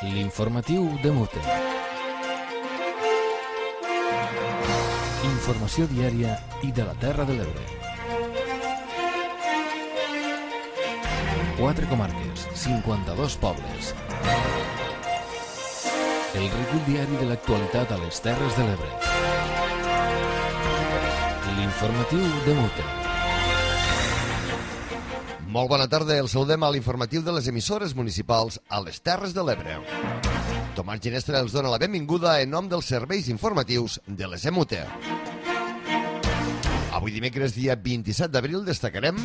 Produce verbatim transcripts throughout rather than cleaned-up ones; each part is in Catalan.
L'informatiu de Mute. Informació diària i de la Terra de l'Ebre. Quatre comarques, cinquanta-dos pobles. El recull diari de l'actualitat a les Terres de l'Ebre. L'informatiu de Mute. Molt bona tarda, el saludem a l'informatiu de les emissores municipals a les Terres de l'Ebre. Tomàs Ginestra els dona la benvinguda en nom dels serveis informatius de les E M U T E. Avui dimecres, dia vint-i-set d'abril, destacarem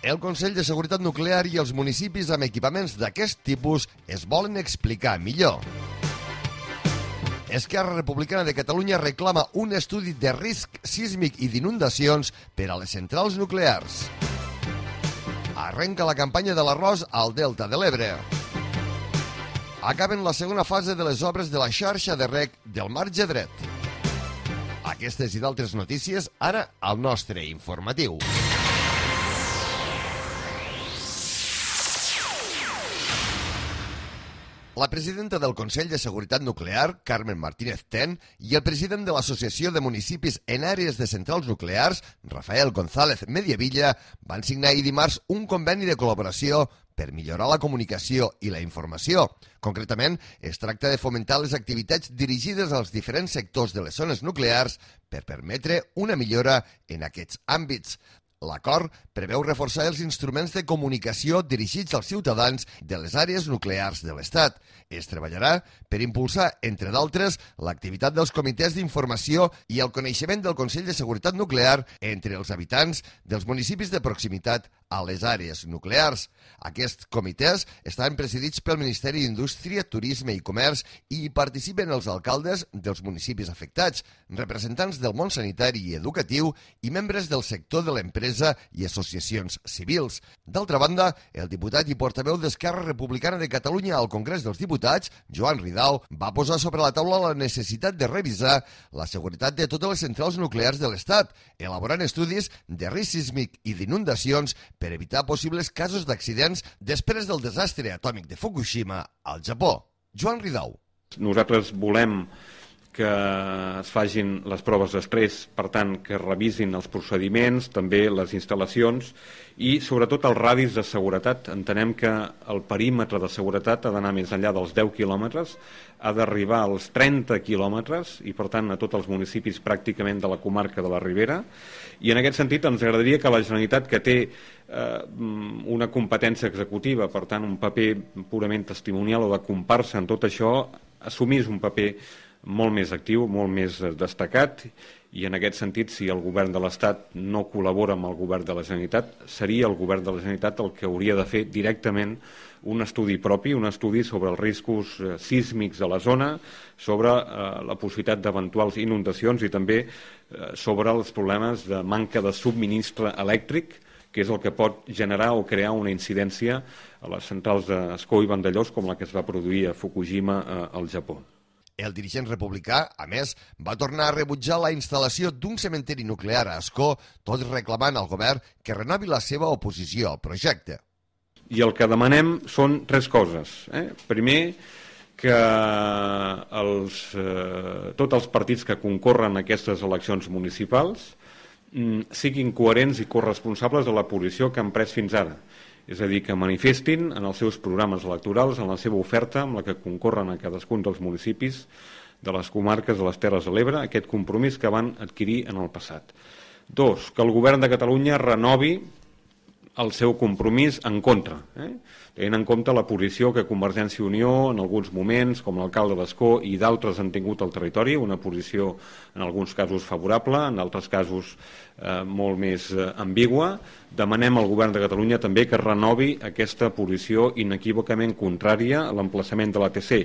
el Consell de Seguretat Nuclear i els municipis amb equipaments d'aquest tipus es volen explicar millor. Esquerra Republicana de Catalunya reclama un estudi de risc sísmic i d'inundacions per a les centrals nuclears. Arrenca la campanya de l'arròs al Delta de l'Ebre. Acaben la segona fase de les obres de la xarxa de reg del marge dret. Aquestes i d'altres notícies ara al nostre informatiu. La presidenta del Consell de Seguretat Nuclear, Carmen Martínez Ten, i el president de l'Associació de Municipis en Àrees de Centrals Nuclears, Rafael González Mediavilla, van signar ahir dimarts un conveni de col·laboració per millorar la comunicació i la informació. Concretament, es tracta de fomentar les activitats dirigides als diferents sectors de les zones nuclears per permetre una millora en aquests àmbits. L'acord preveu reforçar els instruments de comunicació dirigits als ciutadans de les àrees nuclears de l'Estat. Es treballarà per impulsar, entre d'altres, l'activitat dels comitès d'informació i el coneixement del Consell de Seguretat Nuclear entre els habitants dels municipis de proximitat a les àrees nuclears. Aquests comitès estan presidits pel Ministeri d'Indústria, Turisme i Comerç i hi participen els alcaldes dels municipis afectats, representants del món sanitari i educatiu i membres del sector de l'empresa i associacions civils. D'altra banda, el diputat i portaveu d'Esquerra Republicana de Catalunya al Congrés dels Diputats, Joan Ridao, va posar sobre la taula la necessitat de revisar la seguretat de totes les centrals nuclears de l'Estat, elaborant estudis de risc sísmic i d'inundacions per evitar possibles casos d'accidents després del desastre atòmic de Fukushima al Japó. Joan Ridao. Nosaltres volem que es facin les proves d'estrès, per tant, que revisin els procediments, també les instal·lacions i, sobretot, els radis de seguretat. Entenem que el perímetre de seguretat ha d'anar més enllà dels deu quilòmetres, ha d'arribar als trenta quilòmetres i, per tant, a tots els municipis pràcticament de la comarca de la Ribera. I, en aquest sentit, ens agradaria que la Generalitat, que té eh, una competència executiva, per tant, un paper purament testimonial o de comparsa en tot això, assumís un paper molt més actiu, molt més destacat, i en aquest sentit, si el govern de l'Estat no col·labora amb el govern de la Generalitat, seria el govern de la Generalitat el que hauria de fer directament un estudi propi, un estudi sobre els riscos sísmics de la zona, sobre eh, la possibilitat d'eventuals inundacions i també eh, sobre els problemes de manca de subministre elèctric, que és el que pot generar o crear una incidència a les centrals d'Ascó i Vandellòs com la que es va produir a Fukushima eh, al Japó. El dirigent republicà, a més, va tornar a rebutjar la instal·lació d'un cementeri nuclear a Ascó, tot reclamant al govern que renovi la seva oposició al projecte. I el que demanem són tres coses. Eh? Primer, que els, eh, tots els partits que concorren a aquestes eleccions municipals mm, siguin coherents i corresponsables de la posició que han pres fins ara. És a dir, que manifestin en els seus programes electorals, en la seva oferta amb la que concorren a cadascun dels municipis de les comarques de les Terres de l'Ebre, aquest compromís que van adquirir en el passat. Dos, que el govern de Catalunya renovi el seu compromís en contra, eh? tenint en compte la posició que Convergència i Unió en alguns moments, com l'alcalde d'Ascó i d'altres han tingut al territori, una posició en alguns casos favorable, en altres casos eh, molt més eh, ambigua. Demanem al govern de Catalunya també que renovi aquesta posició inequívocament contrària a l'emplaçament de l'A T C.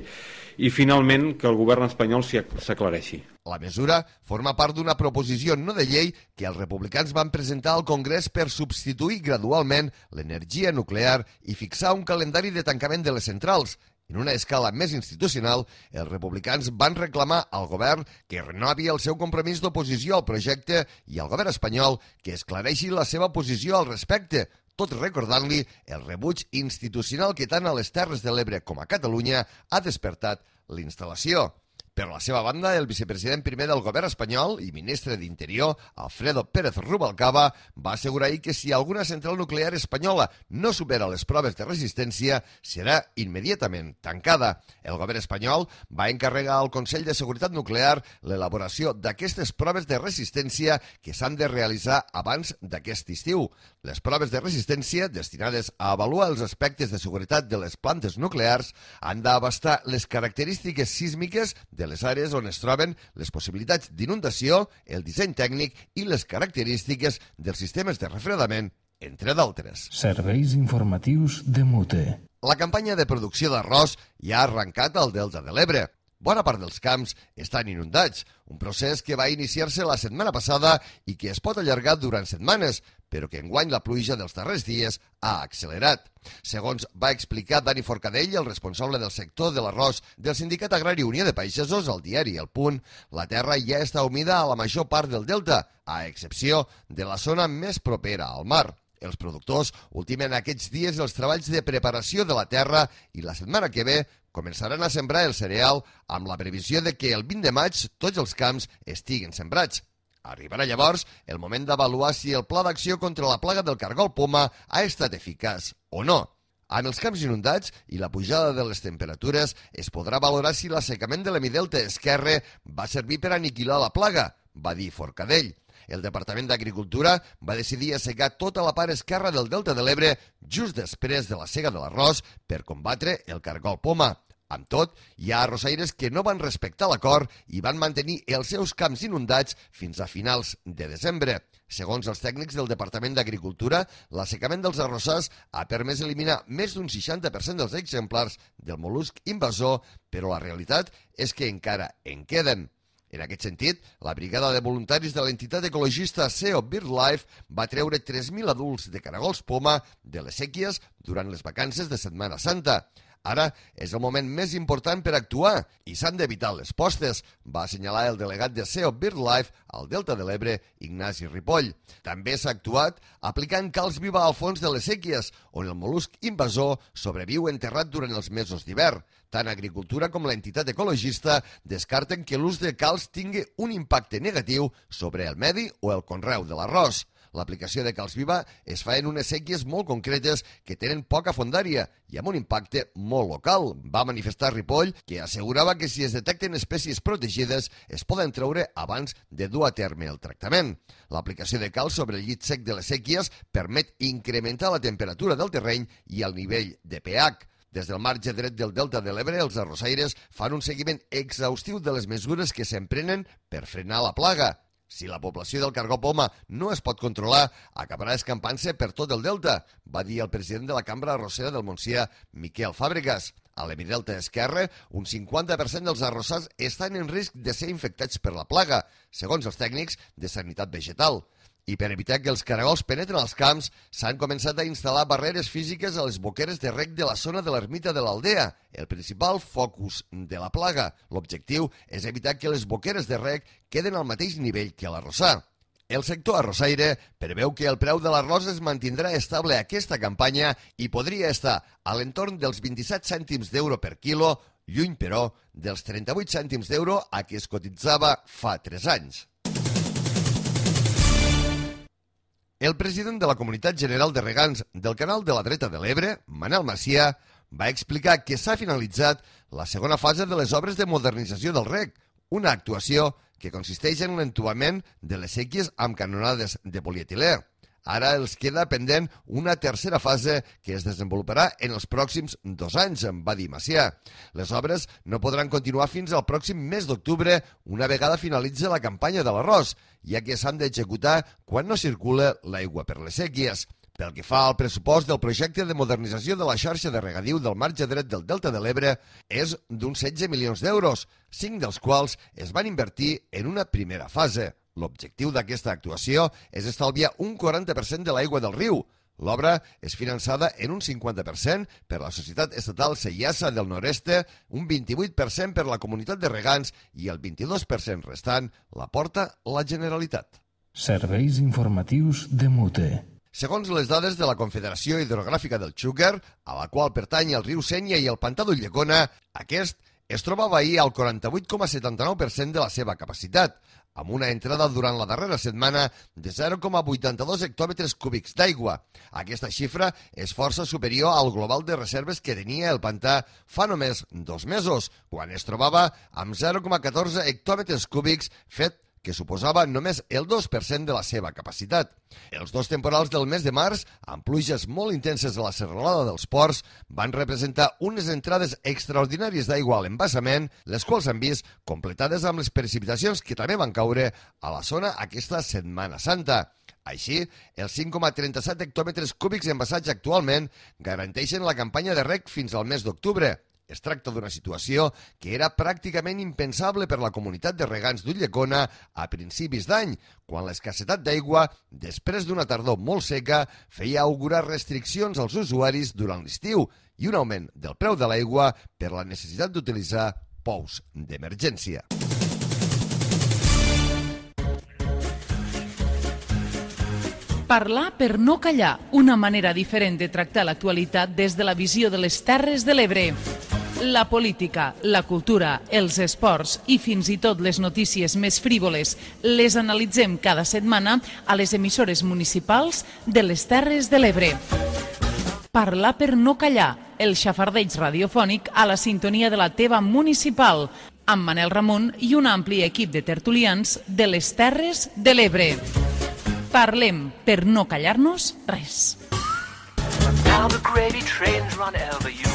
I, finalment, que el govern espanyol s'aclareixi. La mesura forma part d'una proposició no de llei que els republicans van presentar al Congrés per substituir gradualment l'energia nuclear i fixar un calendari de tancament de les centrals. En una escala més institucional, els republicans van reclamar al govern que renovi el seu compromís d'oposició al projecte i al govern espanyol que esclareixi la seva posició al respecte, tot recordant-li el rebuig institucional que tant a les Terres de l'Ebre com a Catalunya ha despertat la instal·lació. Per la seva banda, el vicepresident primer del govern espanyol i ministre d'Interior, Alfredo Pérez Rubalcaba, va assegurar ahir que si alguna central nuclear espanyola no supera les proves de resistència, serà immediatament tancada. El govern espanyol va encarregar al Consell de Seguretat Nuclear l'elaboració d'aquestes proves de resistència que s'han de realitzar abans d'aquest estiu. Les proves de resistència, destinades a avaluar els aspectes de seguretat de les plantes nuclears, han d'abastar les característiques sísmiques de de les àrees on es troben, les possibilitats d'inundació, el disseny tècnic i les característiques dels sistemes de refredament, entre d'altres. Serveis informatius de Mute. La campanya de producció d'arròs ja ha arrencat al Delta de l'Ebre. Bona part dels camps estan inundats, un procés que va iniciar-se la setmana passada i que es pot allargar durant setmanes, però que enguany la pluja dels darrers dies ha accelerat. Segons va explicar Dani Forcadell, el responsable del sector de l'arròs del Sindicat Agrari Unió de Pagesos, al diari El Punt, la terra ja està humida a la major part del delta, a excepció de la zona més propera al mar. Els productors ultimen aquests dies els treballs de preparació de la terra i la setmana que ve començaran a sembrar el cereal amb la previsió de que el vint de maig tots els camps estiguen sembrats. Arribarà llavors el moment d'avaluar si el pla d'acció contra la plaga del cargol poma ha estat eficaç o no. Amb els camps inundats i la pujada de les temperatures es podrà valorar si l'assecament de l'hemidelta esquerre va servir per aniquilar la plaga, va dir Forcadell. El Departament d'Agricultura va decidir assecar tota la part esquerra del Delta de l'Ebre just després de la sega de l'arròs per combatre el cargol poma. Amb tot, hi ha arrossaires que no van respectar l'acord i van mantenir els seus camps inundats fins a finals de desembre. Segons els tècnics del Departament d'Agricultura, l'assecament dels arrossars ha permès eliminar més d'un seixanta per cent dels exemplars del mol·lusc invasor, però la realitat és que encara en queden. En aquest sentit, la brigada de voluntaris de l'entitat ecologista S E O BirdLife va treure tres mil adults de caragols poma de les séquies durant les vacances de Setmana Santa. Ara és el moment més important per actuar i s'han d'evitar les postes, va assenyalar el delegat de S E O BirdLife al Delta de l'Ebre, Ignasi Ripoll. També s'ha actuat aplicant calç viva al fons de les séquies, on el mol·lusc invasor sobreviu enterrat durant els mesos d'hivern. Tant Agricultura com l'entitat ecologista descarten que l'ús de calç tingui un impacte negatiu sobre el medi o el conreu de l'arròs. L'aplicació de calç viva es fa en unes séquies molt concretes que tenen poca fondària i amb un impacte molt local, va manifestar Ripoll, que assegurava que si es detecten espècies protegides es poden treure abans de dur a terme el tractament. L'aplicació de calç sobre el llit sec de les séquies permet incrementar la temperatura del terreny i el nivell de pH. Des del marge dret del Delta de l'Ebre, els arrossaires fan un seguiment exhaustiu de les mesures que s'emprenen per frenar la plaga. Si la població del cargol poma no es pot controlar, acabarà escampant-se per tot el delta, va dir el president de la Cambra Arrossera del Montsià, Miquel Fàbregas. A l'hemidelta esquerre, un cinquanta per cent dels arrossars estan en risc de ser infectats per la plaga, segons els tècnics de Sanitat Vegetal. I per evitar que els caragols penetren als camps, s'han començat a instal·lar barreres físiques a les boqueres de reg de la zona de l'ermita de l'Aldea, el principal focus de la plaga. L'objectiu és evitar que les boqueres de reg queden al mateix nivell que l'arrossar. El sector arrossaire preveu que el preu de l'arròs es mantindrà estable aquesta campanya i podria estar a l'entorn dels vint-i-set cèntims d'euro per quilo, lluny, però, dels trenta-vuit cèntims d'euro a què es cotitzava fa tres anys. El president de la Comunitat General de Regants del Canal de la Dreta de l'Ebre, Manel Macià, va explicar que s'ha finalitzat la segona fase de les obres de modernització del reg, una actuació que consisteix en l'entubament de les séquies amb canonades de polietilè. Ara els queda pendent una tercera fase que es desenvoluparà en els pròxims dos anys, va dir Macià. Les obres no podran continuar fins al pròxim mes d'octubre, una vegada finalitzi la campanya de l'arròs, ja que s'han d'executar quan no circula l'aigua per les séquies. Pel que fa al pressupost del projecte de modernització de la xarxa de regadiu del marge dret del Delta de l'Ebre és d'uns setze milions d'euros, cinc dels quals es van invertir en una primera fase. L'objectiu d'aquesta actuació és estalviar un quaranta per cent de l'aigua del riu. L'obra és finançada en un cinquanta per cent per la Societat Estatal Seiassa del Nord-Este, un vint-i-vuit per cent per la Comunitat de Regants i el vint-i-dos per cent restant la porta la Generalitat. Serveis informatius de Mute. Segons les dades de la Confederació Hidrogràfica del Xúquer, a la qual pertany el riu Sénia i el pantà d'Ulldecona, aquest es trobava ahir al quaranta-vuit coma setanta-nou per cent de la seva capacitat, amb una entrada durant la darrera setmana de zero coma vuitanta-dos hectòmetres cúbics d'aigua. Aquesta xifra és força superior al global de reserves que tenia el pantà fa només dos mesos, quan es trobava amb zero coma catorze hectòmetres cúbics, fet que suposava només el dos per cent de la seva capacitat. Els dos temporals del mes de març, amb pluges molt intenses a la serralada dels ports, van representar unes entrades extraordinàries d'aigua a l'embassament, les quals han vist completades amb les precipitacions que també van caure a la zona aquesta Setmana Santa. Així, els cinc coma trenta-set hectòmetres cúbics embassats actualment garanteixen la campanya de reg fins al mes d'octubre. Es tracta d'una situació que era pràcticament impensable per la comunitat de regants d'Ulldecona a principis d'any, quan l'escassetat d'aigua, després d'una tardor molt seca, feia augurar restriccions als usuaris durant l'estiu i un augment del preu de l'aigua per la necessitat d'utilitzar pous d'emergència. Parlar per no callar, una manera diferent de tractar l'actualitat des de la visió de les Terres de l'Ebre. La política, la cultura, els esports i fins i tot les notícies més frívoles les analitzem cada setmana a les emissores municipals de les Terres de l'Ebre. Parlar per no callar, el xafardeig radiofònic a la sintonia de la teva municipal, amb Manel Ramon i un ampli equip de tertulians de les Terres de l'Ebre. Parlem per no callar-nos res. Now the gravy trains run over you.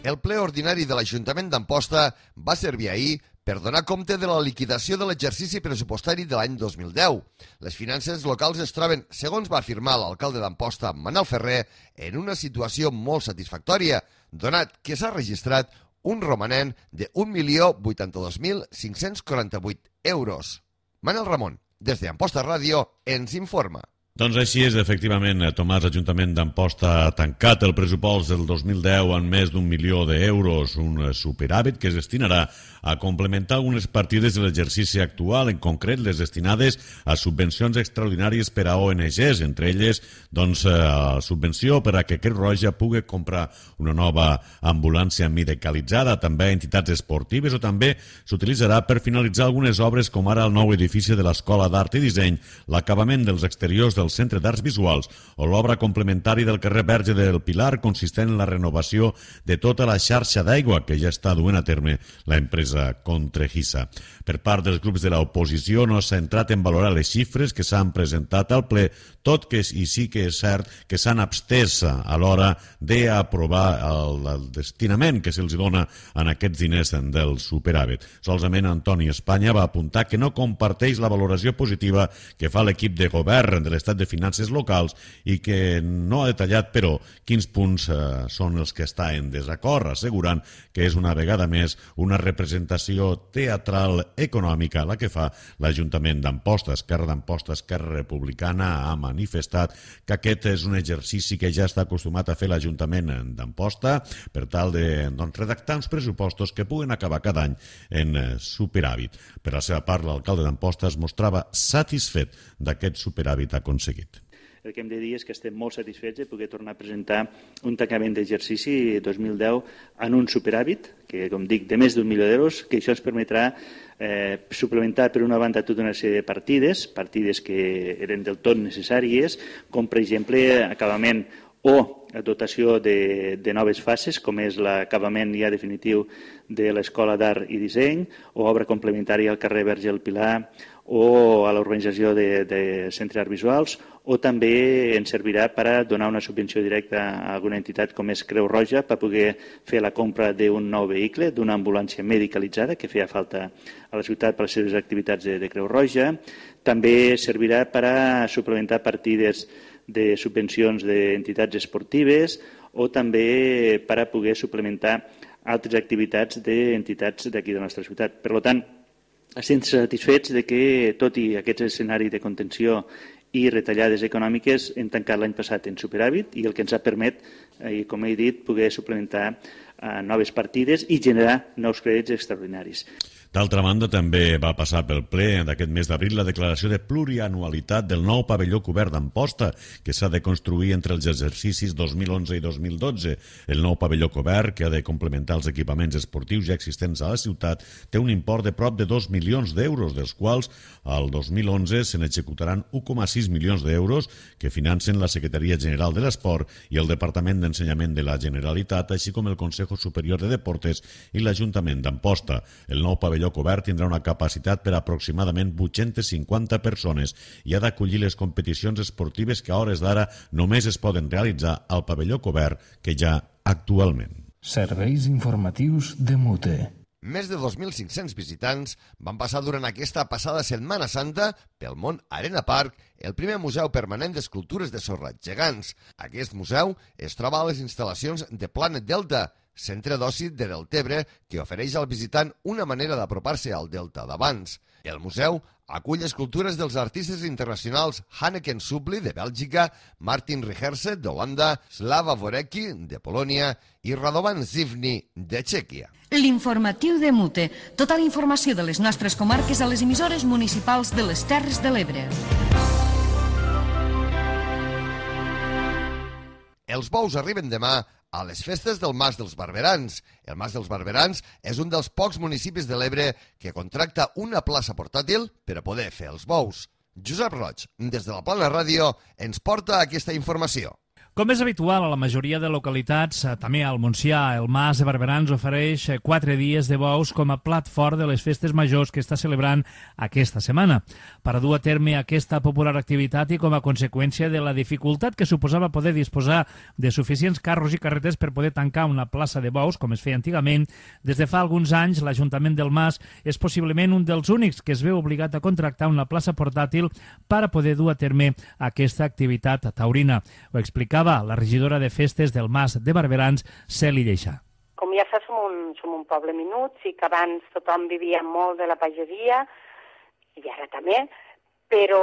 El ple ordinari de l'Ajuntament d'Amposta va servir ahir per donar compte de la liquidació de l'exercici pressupostari de l'any dos mil deu. Les finances locals es troben, segons va afirmar l'alcalde d'Amposta, Manel Ferrer, en una situació molt satisfactòria, donat que s'ha registrat un romanent de un milió vuitanta-dos mil cinc-cents quaranta-vuit euros. Manel Ramon, des d'Amposta Ràdio, ens informa. Doncs així és, efectivament, Tomàs, l'Ajuntament d'Amposta ha tancat el pressupost del dos mil deu en més d'un milió d'euros, un superàvit que es destinarà a complementar algunes partides de l'exercici actual, en concret les destinades a subvencions extraordinàries per a O N Ges, entre elles doncs, a subvenció per a que Creu Roja pugui comprar una nova ambulància medicalitzada, també a entitats esportives, o també s'utilitzarà per finalitzar algunes obres com ara el nou edifici de l'Escola d'Art i Disseny, l'acabament dels exteriors del Centre d'Arts Visuals o l'obra complementària del carrer Verge del Pilar, consistent en la renovació de tota la xarxa d'aigua que ja està duent a terme l'empresa Contrejisa. Per part dels grups de l'oposició no s'ha entrat en valorar les xifres que s'han presentat al ple, tot que i sí que és cert que s'han abstès a l'hora d'aprovar el, el destinament que se'ls dona en aquests diners del superàvit. Solament Antoni Espanya va apuntar que no comparteix la valoració positiva que fa l'equip de govern de l'Estat de Finances Locals i que no ha detallat, però, quins punts eh, són els que està en desacord, assegurant que és una vegada més una representació teatral econòmica la que fa l'Ajuntament d'Amposta. Esquerra d'Amposta, Esquerra Republicana ha manifestat que aquest és un exercici que ja està acostumat a fer l'Ajuntament d'Amposta per tal de doncs, redactar uns pressupostos que puguen acabar cada any en superàvit. Per la seva part, l'alcalde d'Amposta es mostrava satisfet d'aquest superàvit aconseguit. El que hem de dir és que estem molt satisfets de poder tornar a presentar un tancament d'exercici dos mil deu en un superàvit, que, com dic, de més d'un milió d'euros, que això ens permetrà eh, suplementar, per una banda, tota una sèrie de partides, partides que eren del tot necessàries, com, per exemple, acabament o dotació de, de noves fases, com és l'acabament ja definitiu de l'Escola d'Art i Disseny, o obra complementària al carrer Verge del Pilar, o a l'organització de, de centres arts visuals, o també ens servirà per a donar una subvenció directa a alguna entitat com és Creu Roja per poder fer la compra d'un nou vehicle, d'una ambulància medicalitzada que feia falta a la ciutat per les seves activitats de, de Creu Roja. També servirà per a suplementar partides de subvencions d'entitats esportives o també per a poder suplementar altres activitats d'entitats d'aquí de la nostra ciutat. Per tant, estem satisfets de que, tot i aquest escenari de contenció i retallades econòmiques, hem tancat l'any passat en superàvit i el que ens ha permet, eh, com he dit, poder suplementar eh, noves partides i generar nous crèdits extraordinaris. D'altra banda, també va passar pel ple d'aquest mes d'abril la declaració de plurianualitat del nou pavelló cobert d'Amposta, que s'ha de construir entre els exercicis dos mil onze i dos mil dotze. El nou pavelló cobert, que ha de complementar els equipaments esportius ja existents a la ciutat, té un import de prop de dos milions d'euros, dels quals al dos mil onze se n'executaran un coma sis milions d'euros que financen la Secretaria General de l'Esport i el Departament d'Ensenyament de la Generalitat, així com el Consejo Superior de Deportes i l'Ajuntament d'Amposta. El nou pavelló cobert tindrà una capacitat per aproximadament vuit-centes cinquanta persones i ha d'acollir les competicions esportives que a hores d'ara només es poden realitzar al pavelló cobert que hi ha actualment. Serveis informatius de Mute. Més de dos mil cinc-cents visitants van passar durant aquesta passada Setmana Santa pel món Arena Park, el primer museu permanent d'escultures de sorra gegants. Aquest museu es troba a les instal·lacions de Planet Delta, centre d'oci de Deltebre, que ofereix al visitant una manera d'apropar-se al Delta d'abans. El museu acull escultures dels artistes internacionals Hanneken Subli, de Bèlgica, Martin Richerse, d'Holanda, Slava Vorecki, de Polònia, i Radovan Zivny, de Txèquia. L'informatiu de Mute. Tota la informació de les nostres comarques a les emissores municipals de les Terres de l'Ebre. Els bous arriben demà a les festes del Mas dels Barberans. El Mas dels Barberans és un dels pocs municipis de l'Ebre que contracta una plaça portàtil per a poder fer els bous. Josep Roig, des de la Plana Ràdio, ens porta aquesta informació. Com és habitual a la majoria de localitats, també al Montsià, el Mas de Barberans ofereix quatre dies de bous com a plat fort de les festes majors que està celebrant aquesta setmana. Per a dur a terme aquesta popular activitat i com a conseqüència de la dificultat que suposava poder disposar de suficients carros i carretes per poder tancar una plaça de bous, com es feia antigament, des de fa alguns anys l'Ajuntament del Mas és possiblement un dels únics que es veu obligat a contractar una plaça portàtil per a poder dur a terme aquesta activitat taurina. Ho explicava la regidora de festes del Mas de Barberans, Celi Lleixà. Com ja saps, som un, som un poble minut, sí que abans tothom vivia molt de la pagesia, i ara també, però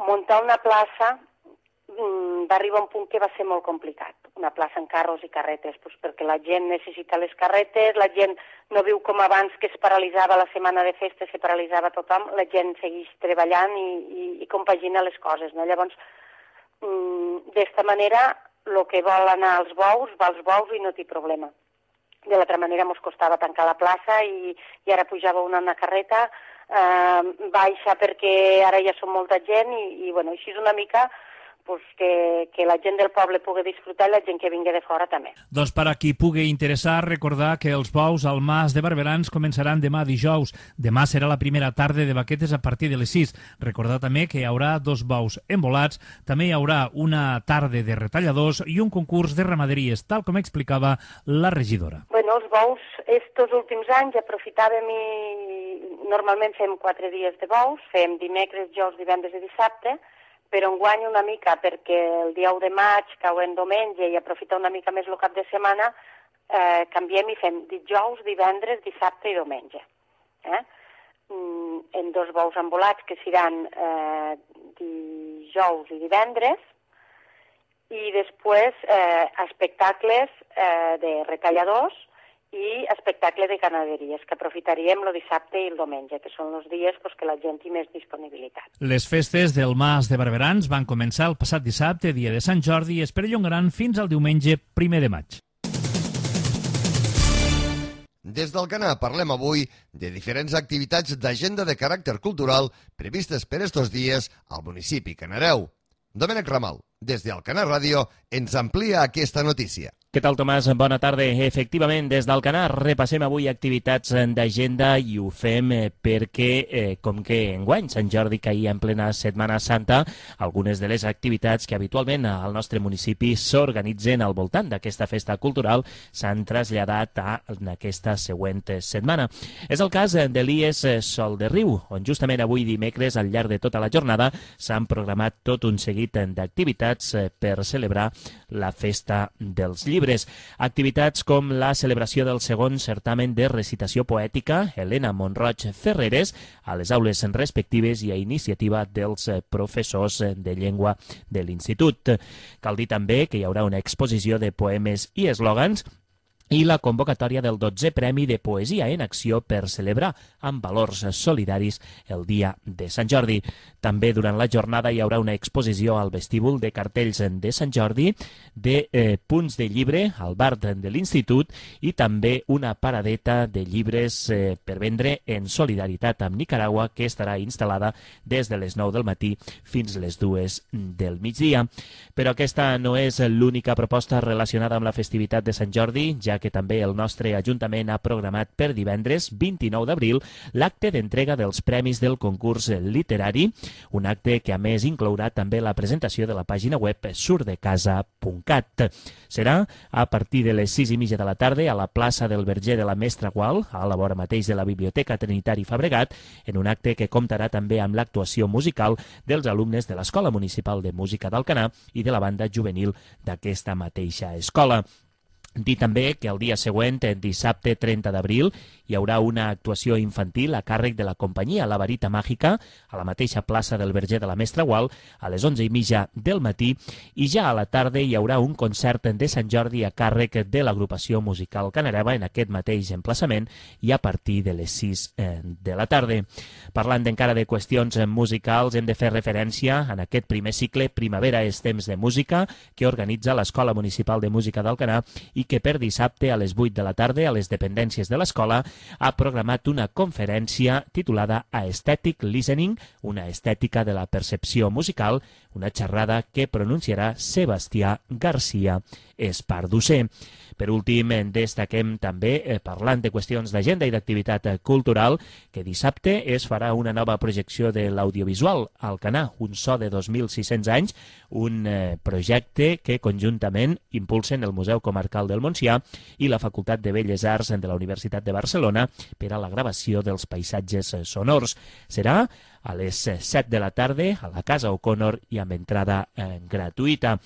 muntar una plaça mmm, va arribar a un punt que va ser molt complicat. Una plaça en carros i carretes, doncs perquè la gent necessita les carretes, la gent no viu com abans, que es paralitzava la setmana de festes, se paralitzava tothom, la gent segueix treballant i, i, i compagina les coses, no? Llavors, d'esta manera, el que vol anar als bous, va als bous i no té problema. De l'altra manera, ens costava tancar la plaça i, i ara pujava una, una carreta, eh, baixa perquè ara ja som molta gent i, i bueno, així és una mica pues, que, que la gent del poble pugui disfrutar i la gent que vingui de fora també. Doncs per a qui pugui interessar, recordar que els bous al Mas de Barberans començaran demà dijous. Demà serà la primera tarda de baquetes a partir de les sis. Recordar també que hi haurà dos bous embolats, també hi haurà una tarda de retalladors i un concurs de ramaderies, tal com explicava la regidora. Bueno, els bous, estos últims anys aprofitàvem i normalment fem quatre dies de bous, fem dimecres, dijous, divendres i dissabte, però enguany una mica perquè el dia u de maig cau en diumenge i aprofitar una mica més el cap de setmana, eh, canviem i fem dijous, divendres, dissabte i diumenge. Eh? Mm, en dos bous embolats que seran eh, dijous i divendres i després eh, espectacles eh, de retalladors i espectacle de ganaderies, que aprofitaríem el dissabte i el diumenge, que són els dies pues, que la gent té més disponibilitat. Les festes del Mas de Barberans van començar el passat dissabte, dia de Sant Jordi, i es perllongaran fins al diumenge primer de maig. Des d'Alcanar parlem avui de diferents activitats d'agenda de caràcter cultural previstes per estos dies al municipi canareu. Domènec Ramal, des d'Alcanar Ràdio, ens amplia aquesta notícia. Què tal, Tomàs? Bona tarda. Efectivament, des d'Alcanar repassem avui activitats d'agenda i ho fem perquè, eh, com que enguany Sant Jordi caia en plena Setmana Santa, algunes de les activitats que habitualment al nostre municipi s'organitzen al voltant d'aquesta festa cultural s'han traslladat a aquesta següent setmana. És el cas de l'I E S Sol de Riu, on justament avui dimecres, al llarg de tota la jornada, s'han programat tot un seguit d'activitats per celebrar la festa dels llibres. Activitats com la celebració del segon certamen de recitació poètica Helena Monroig Ferreres a les aules respectives i a iniciativa dels professors de llengua de l'Institut. Cal dir també que hi haurà una exposició de poemes i eslògans i la convocatòria del dotzè Premi de Poesia en Acció per celebrar amb valors solidaris el dia de Sant Jordi. També durant la jornada hi haurà una exposició al vestíbul de cartells de Sant Jordi, de eh, punts de llibre al bar de l'Institut i també una paradeta de llibres eh, per vendre en solidaritat amb Nicaragua que estarà instal·lada des de les nou del matí fins les dues del migdia. Però aquesta no és l'única proposta relacionada amb la festivitat de Sant Jordi, ja que també el nostre Ajuntament ha programat per divendres vint-i-nou d'abril l'acte d'entrega dels premis del concurs literari, un acte que a més inclourà també la presentació de la pàgina web surdecasa punt cat. Serà a partir de les sis i mitja de la tarda a la plaça del Verger de la Mestra Gual, a la vora mateix de la Biblioteca Trinitari Fabregat, en un acte que comptarà també amb l'actuació musical dels alumnes de l'Escola Municipal de Música d'Alcanar i de la banda juvenil d'aquesta mateixa escola. Dir també que el dia següent, dissabte trenta d'abril, hi haurà una actuació infantil a càrrec de la companyia La Varita Màgica a la mateixa plaça del Verger de la Mestra Gual a les onze i mitja del matí i ja a la tarda hi haurà un concert de Sant Jordi a càrrec de l'agrupació musical Canareva en aquest mateix emplaçament i a partir de les sis de la tarda. Parlant encara de qüestions musicals, hem de fer referència en aquest primer cicle Primavera és temps de música que organitza l'Escola Municipal de Música d'Alcanar i que per dissabte a les vuit de la tarda a les dependències de l'escola ha programat una conferència titulada Aesthetic Listening, una estètica de la percepció musical, una xerrada que pronunciarà Sebastià Garcia Esparducer. Per últim, destaquem també, eh, parlant de qüestions d'agenda i d'activitat cultural, que dissabte es farà una nova projecció de l'audiovisual Alcanar, un so de dos mil sis-cents anys, un eh, projecte que conjuntament impulsen el Museu Comarcal del Montsià i la Facultat de Belles Arts de la Universitat de Barcelona per a la gravació dels paisatges sonors. Serà a les set de la tarda a la Casa O'Connor i amb entrada eh, gratuïta.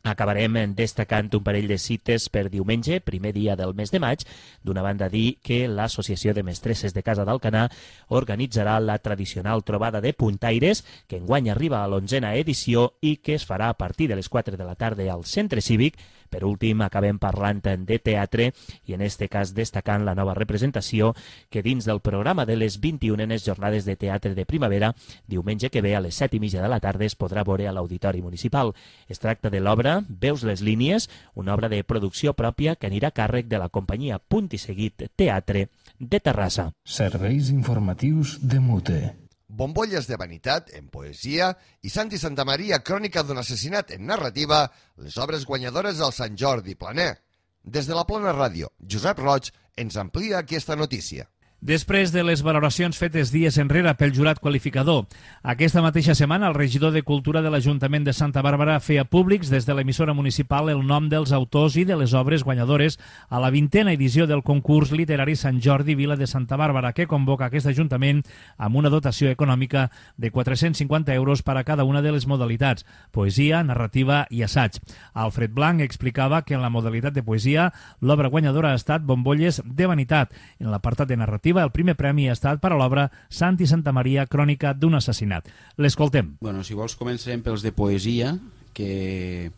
Acabarem destacant un parell de cites per diumenge, primer dia del mes de maig. D'una banda, dir que l'Associació de Mestresses de Casa d'Alcanar organitzarà la tradicional trobada de puntaires, que enguany arriba a l'onzena edició i que es farà a partir de les quatre de la tarda al Centre Cívic. Per últim, acabem parlant de teatre i en este cas destacant la nova representació que dins del programa de les vint-i-unes Jornades de Teatre de Primavera, diumenge que ve a les set i mitja de la tarda es podrà veure a l'Auditori Municipal. Es tracta de l'obra Veus les línies, una obra de producció pròpia que anirà a càrrec de la companyia Punt i Seguit Teatre de Terrassa. Serveis informatius de Mute. Bombolles de vanitat en poesia i Santi Santamaria, crònica d'un assassinat en narrativa, les obres guanyadores del Sant Jordi Planer. Des de la Plana Ràdio, Josep Roig ens amplia aquesta notícia. Després de les valoracions fetes dies enrere pel jurat qualificador, aquesta mateixa setmana el regidor de Cultura de l'Ajuntament de Santa Bàrbara feia públics des de l'emissora municipal el nom dels autors i de les obres guanyadores a la vintena edició del concurs literari Sant Jordi Vila de Santa Bàrbara, que convoca aquest Ajuntament amb una dotació econòmica de quatre-cents cinquanta euros per a cada una de les modalitats, poesia, narrativa i assaig. Alfred Blanc explicava que en la modalitat de poesia l'obra guanyadora ha estat Bombolles de vanitat. En l'apartat de narrativa el primer premi ha estat per a l'obra Santi Santamaria, crònica d'un assassinat. L'escoltem. Bueno, si vols començarem pels de poesia, que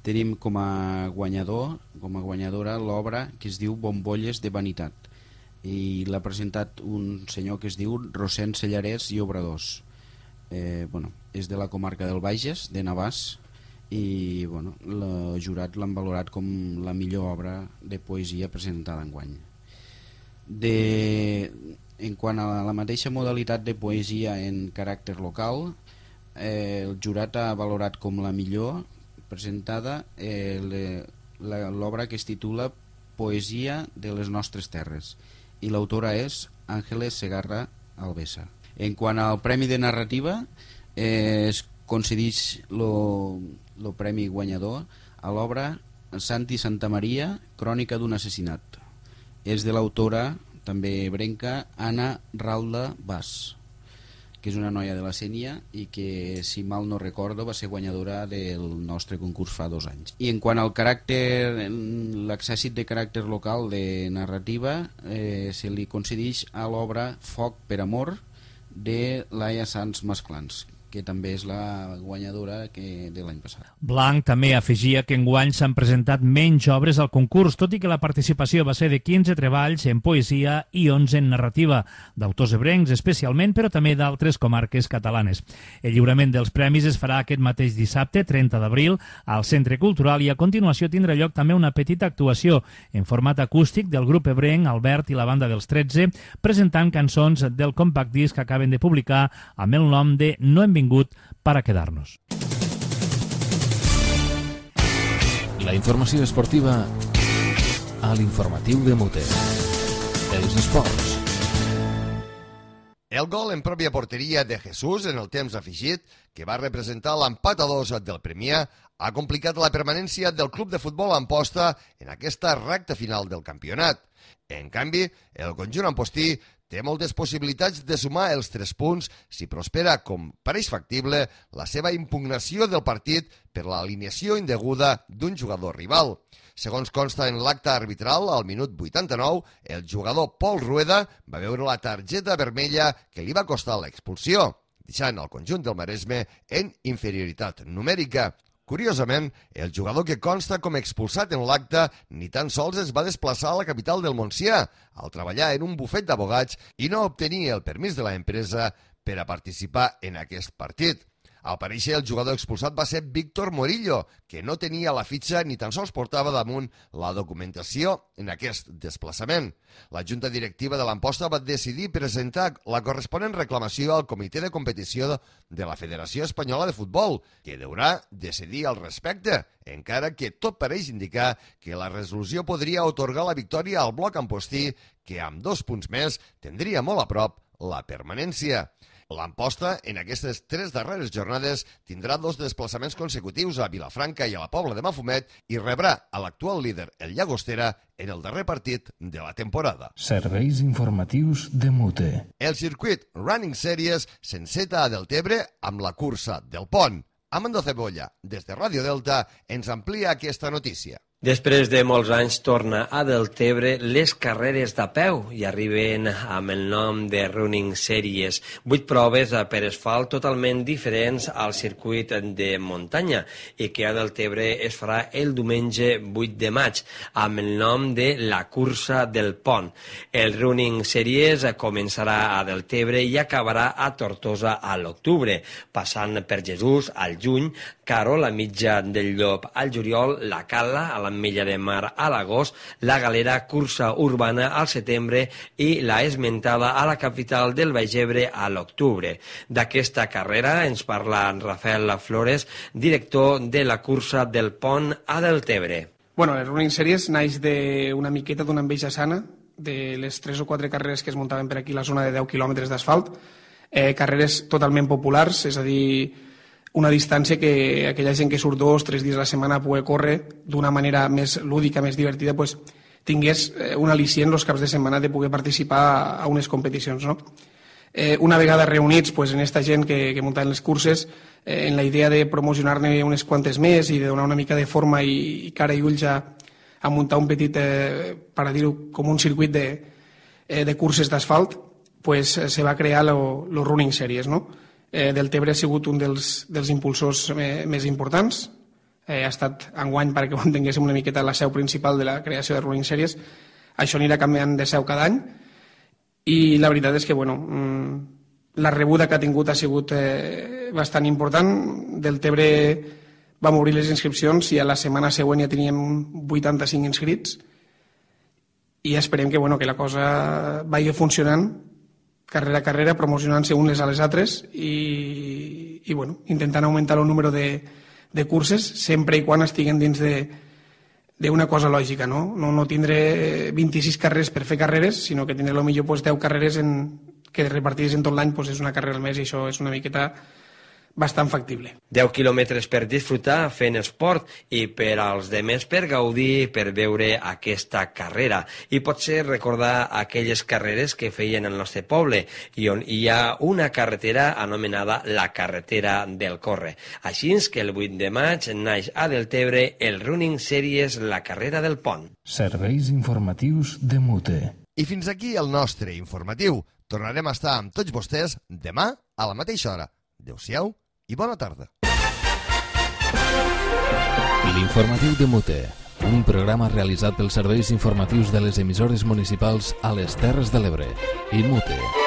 tenim com a guanyador, com a guanyadora l'obra que es diu Bombolles de vanitat. I l'ha presentat un senyor que es diu Rosén Sellarès i Obradors. Eh, bueno, és de la comarca del Bages, de Navàs, i bueno, el jurat l'han valorat com la millor obra de poesia presentada enguany. De, en quant a la mateixa modalitat de poesia en caràcter local, eh, el jurat ha valorat com la millor presentada eh, l'obra que es titula Poesia de les nostres terres i l'autora és Àngeles Segarra Albesa. En quant al premi de narrativa, eh, es concedeix el premi guanyador a l'obra Santi Santamaria, crònica d'un assassinat. És de l'autora, també brenca, Anna Ralda Bas, que és una noia de la Sénia i que, si mal no recordo, va ser guanyadora del nostre concurs fa dos anys. I en quant al caràcter, l'exèrcit de caràcter local de narrativa, eh, se li concedeix a l'obra Foc per amor de Laia Sanz Masclans, que també és la guanyadora que de l'any passat. Blanc també afegia que enguany s'han presentat menys obres al concurs, tot i que la participació va ser de quinze treballs en poesia i onze en narrativa, d'autors ebrencs especialment, però també d'altres comarques catalanes. El lliurament dels premis es farà aquest mateix dissabte, trenta d'abril, al Centre Cultural, i a continuació tindrà lloc també una petita actuació en format acústic del grup ebrenc Albert i la banda dels tretze, presentant cançons del compact disc que acaben de publicar amb el nom de No hem vingut per a quedar-nos. La informació esportiva a l'informatiu de Mute. Els esports. El gol en pròpia porteria de Jesús en el temps afegit, que va representar l'empat a dos del Premià, ha complicat la permanència del club de futbol Amposta en aquesta recta final del campionat. En canvi, el conjunt ampostí té moltes possibilitats de sumar els tres punts si prospera, com pareix factible, la seva impugnació del partit per l'alineació indeguda d'un jugador rival. Segons consta en l'acte arbitral, al minut vuitanta-nou, el jugador Pol Rueda va veure la targeta vermella que li va costar l'expulsió, deixant el conjunt del Maresme en inferioritat numèrica. Curiosament, el jugador que consta com expulsat en l'acte ni tan sols es va desplaçar a la capital del Montsià, al treballar en un bufet d'abogats i no obtenir el permís de l'empresa per a participar en aquest partit. Al parèixer, el jugador expulsat va ser Víctor Morillo, que no tenia la fitxa ni tan sols portava damunt la documentació en aquest desplaçament. La Junta Directiva de l'Amposta va decidir presentar la corresponent reclamació al Comitè de Competició de la Federació Espanyola de Futbol, que deurà decidir al respecte, encara que tot pareix indicar que la resolució podria otorgar la victòria al bloc ampostí, que amb dos punts més tindria molt a prop la permanència. L'Amposta, en aquestes tres darreres jornades, tindrà dos desplaçaments consecutius a Vilafranca i a la Pobla de Mafumet i rebrà a l'actual líder, el Llagostera, en el darrer partit de la temporada. Serveis informatius de Mute. El circuit Running Series s'enceta a Deltebre amb la cursa del Pont. Amando Cebolla, des de Ràdio Delta, ens amplia aquesta notícia. Després de molts anys torna a Deltebre les carreres de peu i arriben amb el nom de Running Series. Vuit proves per asfalt totalment diferents al circuit de muntanya i que a Deltebre es farà el diumenge vuit de maig amb el nom de la cursa del Pont. El Running Series començarà a Deltebre i acabarà a Tortosa a l'octubre, passant per Jesús al juny, Caro, la mitja del Llop al juliol, la Cala a l'Ametlla de Mar a l'agost, la Galera, cursa urbana al setembre i la esmentada a la capital del Baix Ebre a l'octubre. D'aquesta carrera ens parla Rafael Flores, director de la cursa del Pont a Deltebre. Bueno, el Running Series naix d'una miqueta d'una enveja sana, de les tres o quatre carreres que es muntaven per aquí a la zona de deu quilòmetres d'asfalt, eh, carreres totalment populars, és a dir, una distància que aquella gent que surt dos, tres dies a la setmana a poder córrer d'una manera més lúdica, més divertida, pues, tingués un al·licient els caps de setmana de poder participar a unes competicions. No? Eh, una vegada reunits pues, en aquesta gent que, que muntaven les curses, eh, en la idea de promocionar-ne unes quantes més i de donar una mica de forma i, i cara i ulls a, a muntar un petit, eh, per a dir-ho, com un circuit de, eh, de curses d'asfalt, pues, se va crear lo, lo Running Series, no? Eh, Deltebre ha sigut un dels, dels impulsors eh, més importants. Eh, ha estat enguany perquè ho entenguéssim una miqueta la seu principal de la creació de Running Series. Això anirà canviant de seu cada any i la veritat és que bueno, la rebuda que ha tingut ha sigut eh, bastant important. Deltebre vam obrir les inscripcions i a la setmana següent ja teníem vuitanta-cinc inscrits i esperem que, bueno, que la cosa vagi funcionant carrera a carrera, promocionant-se unes a les altres i, i bueno, intentant augmentar el número de, de curses sempre i quan estiguen dins d'una cosa lògica, no? No, no tindré vint-i-sis carreres per fer carreres, sinó que tindré potser pues, deu carreres en, que repartides en tot l'any pues, és una carrera al mes i això és una miqueta bastant factible. deu quilòmetres per disfrutar fent esport i per als demés per gaudir, per veure aquesta carrera i potser recordar aquelles carreres que feien al nostre poble i on hi ha una carretera anomenada la carretera del Corre. Així que el vuit de maig naix a Deltebre el Running Series La Carrera del Pont. Serveis informatius de Mute. I fins aquí el nostre informatiu. Tornarem a estar amb tots vostès demà a la mateixa hora. Adéu-siau i bona tarda. L'informatiu de Mute, un programa realitzat pels serveis informatius de les emissores municipals a les Terres de l'Ebre i Mute.